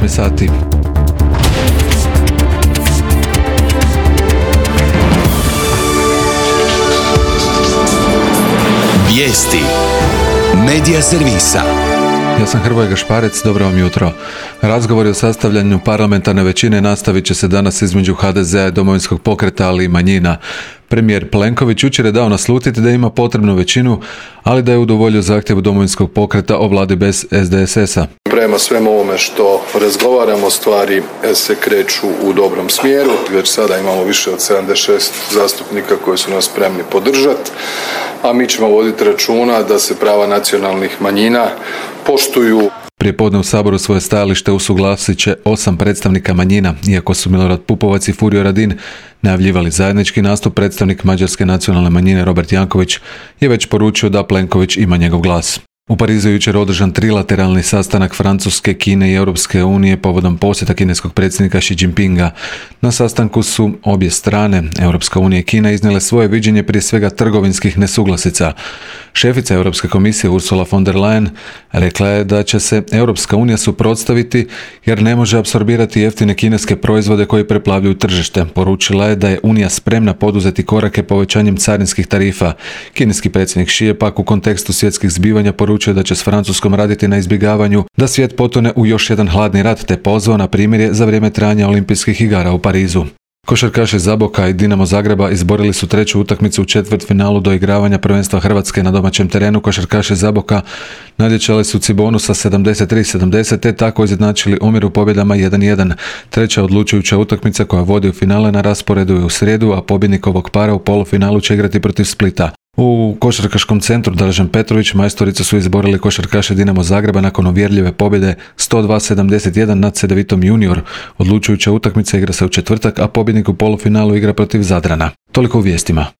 8 sati. Vijesti Medija servisa. Ja sam Hrvoje Gašparec, dobro vam jutro. Razgovori o sastavljanju parlamentarne većine nastavit će se danas između HDZ-a i Domovinskog pokreta, ali i manjina. Premijer Plenković jučer je dao naslutiti da ima potrebnu većinu, ali da je udovoljio zahtjevu Domovinskog pokreta o vladi bez SDSS-a. Prema svemu ovome što razgovaramo, stvari se kreću u dobrom smjeru. Već sada imamo više od 76 zastupnika koji su nas spremni podržati, a mi ćemo voditi računa da se prava nacionalnih manjina poštuju. Prijepodne u Saboru svoje stajalište usuglasit će 8 predstavnika manjina, iako su Milorad Pupovac i Furio Radin najavljivali zajednički nastup. Predstavnik mađarske nacionalne manjine Robert Janković je već poručio da Plenković ima njegov glas. U Parizu je jučer održan trilateralni sastanak Francuske, Kine i Europske unije povodom posjeta kineskog predsjednika Xi Jinpinga. Na sastanku su obje strane, Europska unija i Kina, iznijele svoje viđenje prije svega trgovinskih nesuglasica. Šefica Europske komisije Ursula von der Leyen rekla je da će se Europska unija suprotstaviti jer ne može apsorbirati jeftine kineske proizvode koji preplavljuju tržište. Poručila je da je Unija spremna poduzeti korake povećanjem carinskih tarifa. Kineski predsjednik Xi je pak u kontekstu svjetskih zbivanja poručio da će s Francuskom raditi na izbjegavanju da svijet potone u još jedan hladni rat, te pozvao na primirje za vrijeme trajanja olimpijskih igara u Parizu. Košarkaši Zaboka i Dinamo Zagreba izborili su treću utakmicu u četvrtfinalu doigravanja prvenstva Hrvatske na domaćem terenu. Košarkaši Zaboka nadjačali su Cibonu sa 73-70 te tako izjednačili omjer u pobjedama 1-1. Treća odlučujuća utakmica koja vodi u finale na rasporedu je u srijedu, a pobjednik ovog para u polufinalu će igrati protiv Splita. U košarkaškom centru Dražen Petrović majstoricu su izborili košarkaši Dinamo Zagreba nakon uvjerljive pobjede 102-71 nad Cedevitom Junior. Odlučujuća utakmica igra se u četvrtak, a pobjednik u polufinalu igra protiv Zadrana. Toliko u vijestima.